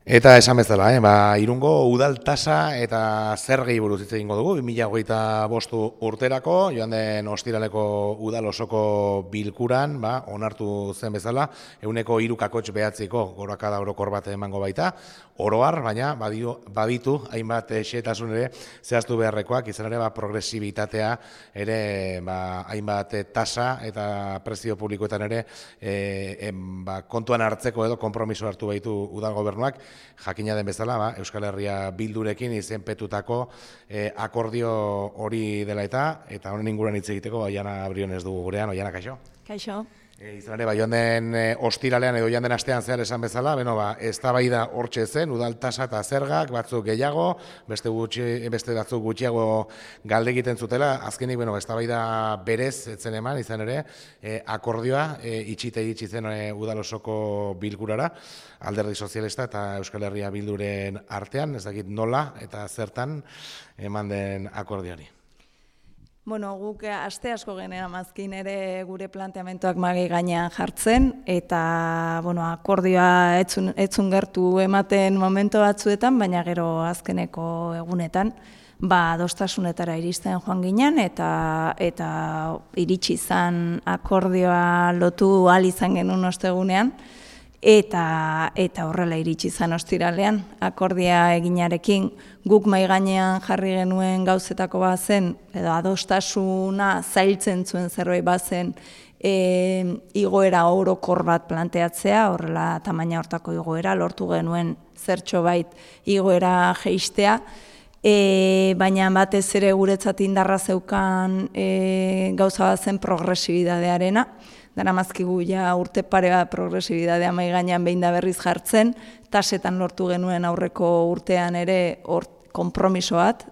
Eta esan bezala, Irungo udal tasa eta zergei buruz hitz egingo dugu, 2025 urterako, joan den ostiraleko udal osoko bilkuran, onartu zen bezala, 3,9 gorakada orokor bat emango baita, oroar, baina baditu hainbat xehetasun ere zehaztu beharrekoak, izan ere progresibitatea ere hainbat tasa eta prezio publikoetan ere kontuan hartzeko edo konpromiso hartu baitu udal gobernuak, jakina den bezala, Euskal Herria Bildurekin izenpetutako akordio hori dela eta honen inguruan hitz egiteko Oiana Briones dugu gurean. Oiana, kaixo? Kaixo. Izan ere, joan den ostiralean edo joan den astean zehar esan bezala, eztabaida hortxe zen, udal tasa eta zergak, batzuk gehiago, beste batzuk gutxiago galde egiten zutela, azkenik, eztabaida berez etzen eman, izan ere, akordioa itxite iritsi zen udal osoko bilkurara, Alderdi Sozialista eta Euskal Herria Bilduren artean, ez dakit nola eta zertan eman den akordioari. Guk aste asko genera mazkin ere gure planteamentoak magi gainean jartzen, eta akordioa etzun gertu ematen momento batzuetan, baina gero azkeneko egunetan, adostasunetara iristen joan ginen, eta iritsi izan akordioa lotu ahal izan genuen ostegunean, eta horrela iritsi izan ostiralean, akordia eginarekin guk mahai gainean jarri genuen gauzetako bazen, edo adostasuna zailtzen zuen zerbait bazen igoera orokor bat planteatzea, horrela tamaina hortako igoera, lortu genuen zertxo bait igoera jeistea, baina batez ere guretzat indarra zeukan gauza bazen progresibidadearena, dara mazkigu urte pare bat progresibidadea mahai gainean behin da berriz jartzen, tasetan lortu genuen aurreko urtean ere konpromiso bat,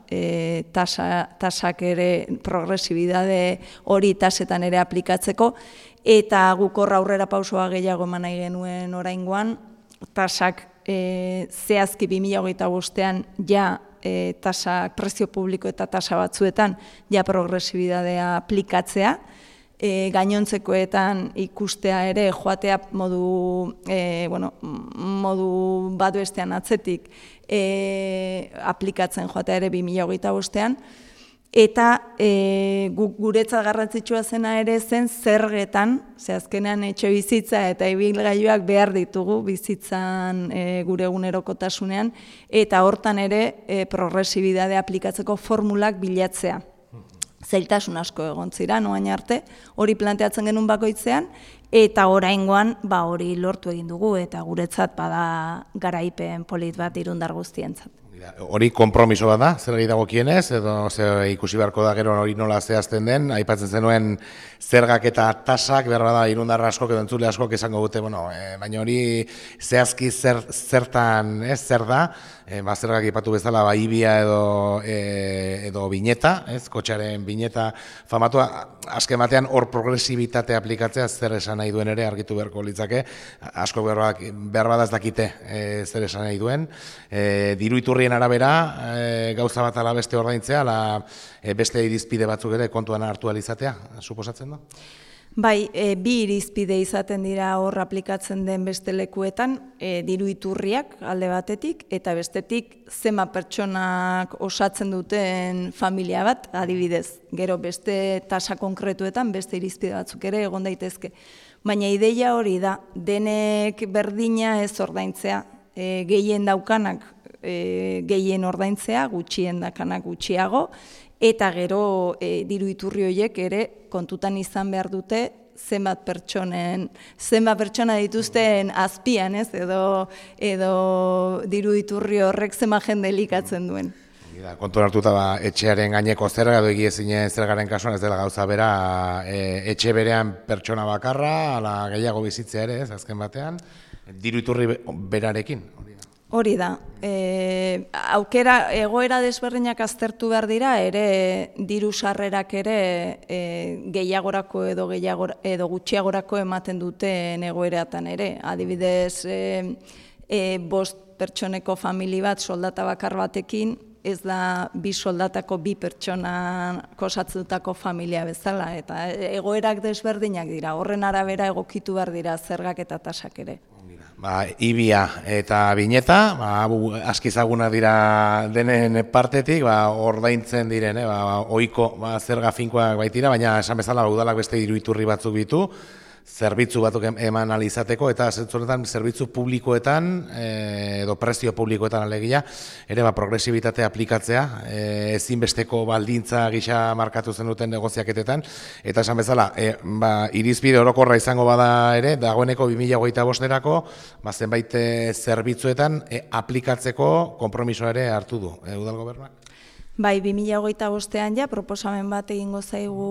tasak ere progresibidade hori tasetan ere aplikatzeko, eta guk horra aurrera pausoa gehiago eman nahi genuen oraingoan, tasak zehazki 2025ean tasak prezio publiko eta tasa batzuetan progresibidadea aplikatzea, gainontzekoetan ikustea ere joatea modu bat bestean atzetik aplikatzen joatea ere 2025ean, eta guretzat garrantzitsua zena ere zen zergetan, azkenean etxe bizitza eta ibilgailuak behar ditugu bizitzan gure egunerokotasunean, eta hortan ere progresibidadea aplikatzeko formulak bilatzea. Zailtasun asko egon ziren, oain arte, hori planteatzen genuen bakoitzean, eta oraingoan hori lortu egin dugu, eta guretzat bada garaipen polit bat Irundar guztientzat. Hori konpromiso bat da, zer gehi dagokienez, edo ikusi beharko da gero hori nola zehazten den, aipatzen zenuen zergak eta tasak, behar da Irundar askok edo entzule askok esango dute, baina hori zehazki zertan zer da, zergak ipatu bezala ibia edo bineta, kotxearen bineta famatua, azken batean hor progresibitate aplikatzea zer esan nahi duen ere argitu beharko litzake, asko behar badaz dakite zer esan nahi duen, diru iturrien arabera gauza bat ala beste ordaintzea, beste irizpide batzuk ere kontuan hartu alizatea, suposatzen da? Bai, bi irizpide izaten dira hor aplikatzen den beste lekuetan, diru iturriak alde batetik, eta bestetik zenbat pertsonak osatzen duten familia bat, adibidez. Gero beste tasa konkretuetan beste irizpide batzuk ere egon daitezke. Baina ideia hori da, denek berdina ez ordaintzea, gehien daukanak gehien ordaintzea, gutxien dakanak gutxiago, eta gero diru iturri horiek ere kontutan izan behar dute zenbat pertsona dituzten azpian, edo diru iturri horrek zenbat jende elikatzen duen. Kontu hartuta etxearen gaineko zerga edo egiezinen zergaren kasuan ez dela gauza bera etxe berean pertsona bakarra, ala gehiago bizitzea ere, azken batean, diru iturri berarekin. Hori da, egoera desberdinak aztertu behar dira, ere diru sarrerak ere gehiagorako edo gutxiagorako ematen duten egoeratan ere. Adibidez, 5 pertsoneko famili bat soldata bakar batekin, ez da 2 soldatako 2 pertsona osatzutako familia bezala, eta egoerak desberdinak dira, horren arabera egokitu behar dira zergak eta tasak ere. Ibia eta Bineta, aski ezagunak dira denen partetik, ordaintzen diren, ohiko zerga finkoak baitira, baina esan bezala udalak beste diru iturri batzuk ditu, zerbitzu batzuk eman alizateko, eta zerbitzu publikoetan, edo prezio publikoetan alegia, ere progresibitatea aplikatzea, ezinbesteko baldintza gisa markatu zen duten negoziaketetan, eta esan bezala, irizpide orokorra izango bada ere, dagoeneko 2025erako, zenbait zerbitzuetan aplikatzeko konpromisoa ere hartu du, udal gobernuak? Bai, 2025ean ja, proposamen bat egingo zaigu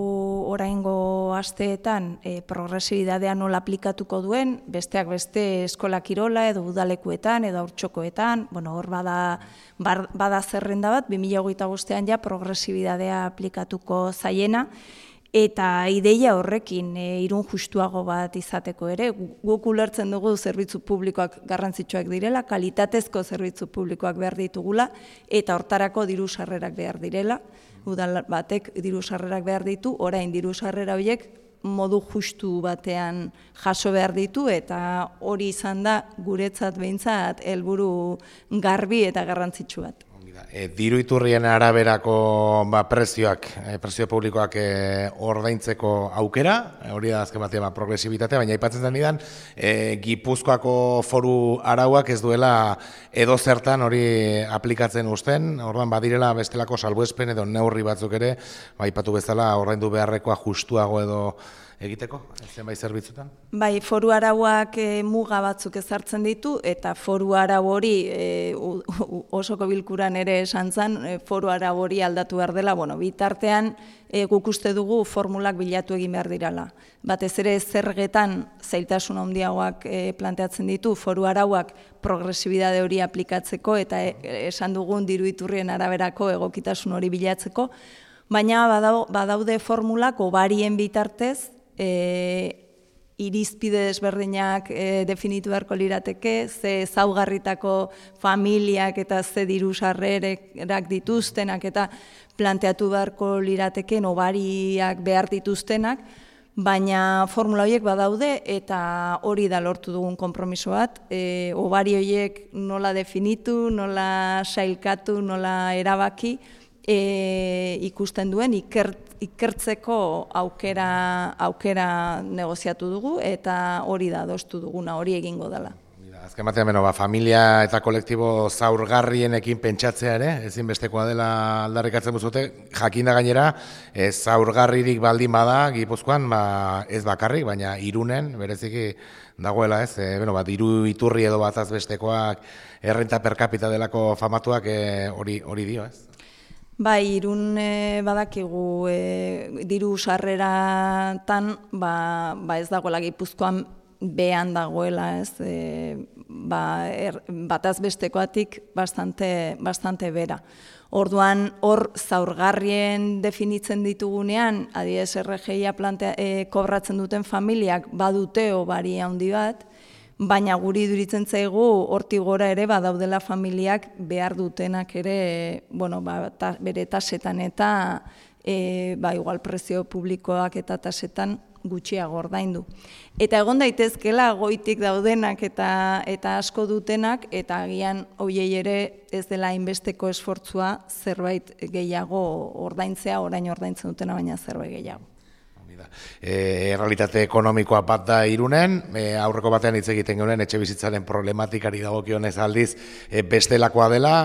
oraingo asteetan progresibidadea nola aplikatuko duen, besteak beste eskola kirola edo udalekuetan edo haurtxokoetan, hor bada zerrenda bat, 2025ean ja progresibidadea aplikatuko zaiena, eta ideia horrekin Irun justuago bat izateko ere, guk ulertzen dugu zerbitzu publikoak garrantzitsuak direla, kalitatezko zerbitzu publikoak behar ditugula, eta hortarako diru sarrerak behar direla, udal batek diru sarrerak behar ditu, orain diru sarrera horiek modu justu batean jaso behar ditu, eta hori izan da guretzat behintzat helburu garbi eta garrantzitsu bat. Diru iturrien araberako prezio publikoak ordaintzeko aukera, hori da azken batean progresibitatea, baina aipatzen zenidan, Gipuzkoako foru arauak ez duela edo zertan hori aplikatzen uzten, orduan badirela bestelako salbuespen edo neurri batzuk ere, aipatu bezala ordaindu beharrekoa justuago edo egiteko, zenbait zerbitzutan? Bai, foru arauak muga batzuk ezartzen ditu, eta foru arau hori osoko bilkuran ere esan zen, foru arau hori aldatu behar dela, bitartean guk uste dugu formulak bilatu egin behar dirala. Batez ere zergetan zailtasun handiagoak planteatzen ditu, foru arauak progresibidade hori aplikatzeko, eta esan dugun diru iturrien araberako egokitasun hori bilatzeko, baina badaude formulak obarien bitartez, irizpide desberdinak definitu beharko lirateke, ze ezaugarritako familiak eta ze diru sarrerak dituztenak eta planteatu beharko lirateken obariak behar dituztenak, baina formula horiek badaude eta hori da lortu dugun konpromiso bat, obari horiek nola definitu, nola sailkatu, nola erabaki, ikusten duen ikertzeko aukera negoziatu dugu eta hori da adostu duguna, hori egingo dela. Azken batean, familia eta kolektibo zaurgarrienekin pentsatzea ere, ezinbestekoa dela aldarrikatzen duzute, jakinda gainera, zaurgarririk baldin bada, Gipuzkoan, ez bakarrik, baina Irunen, bereziki dagoela ez, diru iturri edo bataz bestekoak, errenta per capita delako famatuak hori dio ez. Bai, Irun badakigu diru sarreratan ez dagoela Gipuzkoan behan dagoela, ez, bataz bestekoatik bastante bera. Orduan, hor zaurgarrien definitzen ditugunean, adibidez RGIa kobratzen duten familiak badute obari handi bat, baina guri iduritzen zaigu hortik gora ere badaudela familiak behar dutenak ere, bere tasetan eta igual prezio publikoak eta tasetan gutxiago ordaindu. Eta egon daitezkela goitik daudenak eta asko dutenak, eta agian hoiei ere ez dela hainbesteko esfortzua zerbait gehiago ordaintzea, orain ordaintzen dutena baina zerbait gehiago. Errealitate ekonomikoa bat da Irunen, aurreko batean hitz egiten genuen etxe bizitzaren problematikari dagokionez aldiz bestelakoa dela,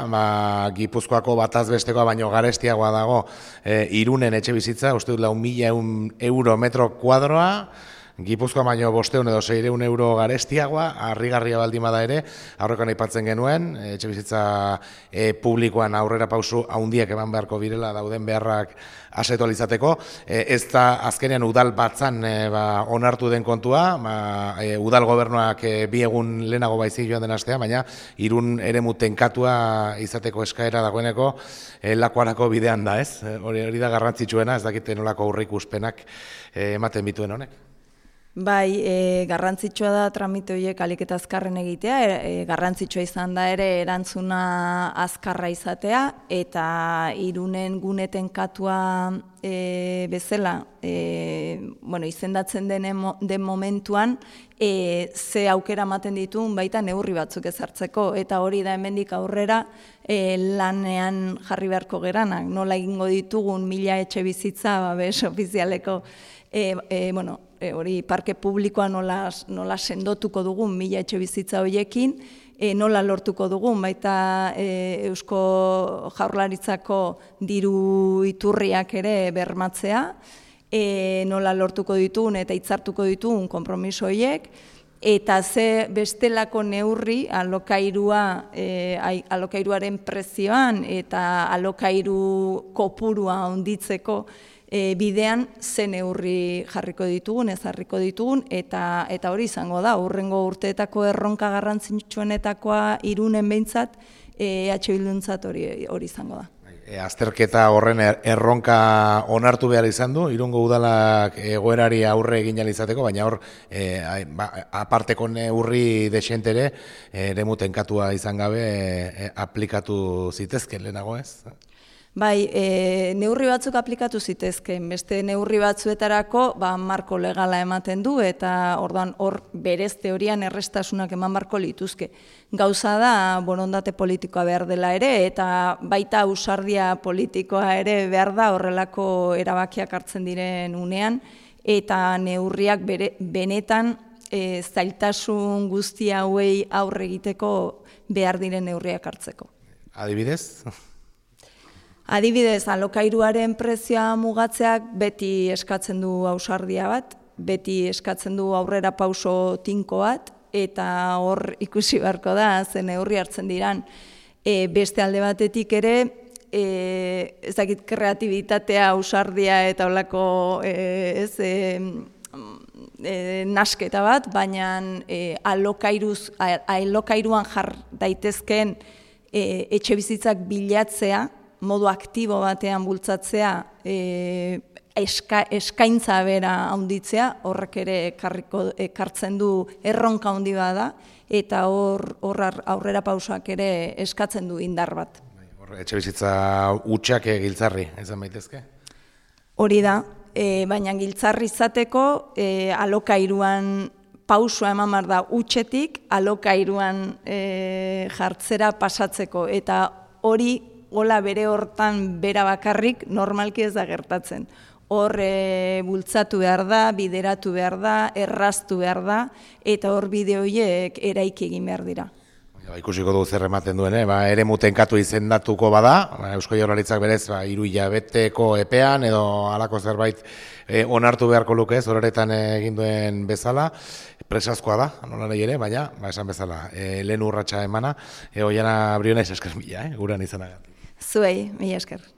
Gipuzkoako bataz bestekoa baino garestiagoa dago Irunen etxe bizitza, uste dut 4.000 euro metro kuadroa, Gipuzkoa baino 500 edo 600 euro garestiagoa, harrigarria baldin bada ere, aurrekoan aipatzen genuen, etxe bizitza publikoan aurrera pausu handiak eman beharko direla dauden beharrak asetualizateko, ez da azkenean udal batzan onartu den kontua, udal gobernuak 2 egun lehenago baizik joan den astea, baina Irun eremu tenkatua izateko eskaera dagoeneko lakoarako bidean da, ez? Hori da garrantzitsuena, ez dakite nolako aurreikuspenak ematen bituen honek. Bai, garrantzitsua da tramite horiek ahalik eta azkarren egitea, garrantzitsua izan da ere erantzuna azkarra izatea, eta Irunen guneten katua bezala, izendatzen den momentuan, ze aukera ematen dituen baita neurri batzuk ezartzeko, eta hori da hemendik aurrera lanean jarri beharko geranak, nola egingo ditugun 1000 etxe bizitza babes ofizialeko, hori parke publikoa nola sendotuko dugun 1000 etxe bizitza horiekin, nola lortuko dugun, baita Eusko Jaurlaritzako diru iturriak ere bermatzea, nola lortuko ditugun eta hitzartuko ditugun konpromiso horiek, eta ze bestelako neurri alokairuaren prezioan eta alokairu kopurua handitzeko bidean ze neurri jarriko ditugun, ez jarriko ditugun, eta hori izango da, hurrengo urteetako erronka garrantzitsuenetakoa Irunen behintzat, Bilduntzat hori izango da. Azterketa horren erronka onartu behar izan du, Irungo udalak egoerari aurre egin ahal izateko, baina hor aparteko neurri desentere eremu tenkatua izan gabe aplikatu zitezken lehenago ez? Bai, neurri batzuk aplikatu zitezken, beste neurri batzuetarako marko legala ematen du, eta orduan hor berez teorian errestasunak eman barko lituzke. Gauza da, borondate politikoa behar dela ere, eta baita ausardia politikoa ere behar da horrelako erabakiak hartzen diren unean, eta neurriak benetan zailtasun guzti hauei aurre egiteko behar diren neurriak hartzeko. Adibidez? Adibidez, alokairuaren prezioa mugatzeak beti eskatzen du ausardia bat, beti eskatzen du aurrera pauso tinko bat, eta hor ikusi beharko da, zen neurri hartzen diran. Beste alde batetik ere, ezakit kreatibitatea, ausardia eta holako nasketa bat, baina alokairuan jar daitezkeen etxe bizitzak bilatzea, modu aktibo batean bultzatzea, eskaintza bera handitzea, horrek ere ekartzen du erronka handi bada, eta hor aurrera pausak ere eskatzen du indar bat. Etxe bizitza hutsak giltzarri, ezan baitezke? Hori da, baina giltzarri izateko alokairuan pausua eman behar da hutsetik, alokairuan jartzera pasatzeko, eta hori hola bere hortan bera bakarrik normalki ez da gertatzen. Hor bultzatu behar da, bideratu behar da, erraztu behar da, eta hor bide horiek eraiki egin behar dira. Ikusiko dugu zer ematen duen, eremu tenkatu izendatuko bada, Eusko Jaurlaritzak berez 3 hilabeteko epean edo halako zerbait onartu beharko luke ez, horretan egin duen bezala, presazkoa da, nola nahi ere, baina esan bezala, lehen urratsa emana, Oiana Briones esker mila, gurean izanagatik. Zuei, mila esker.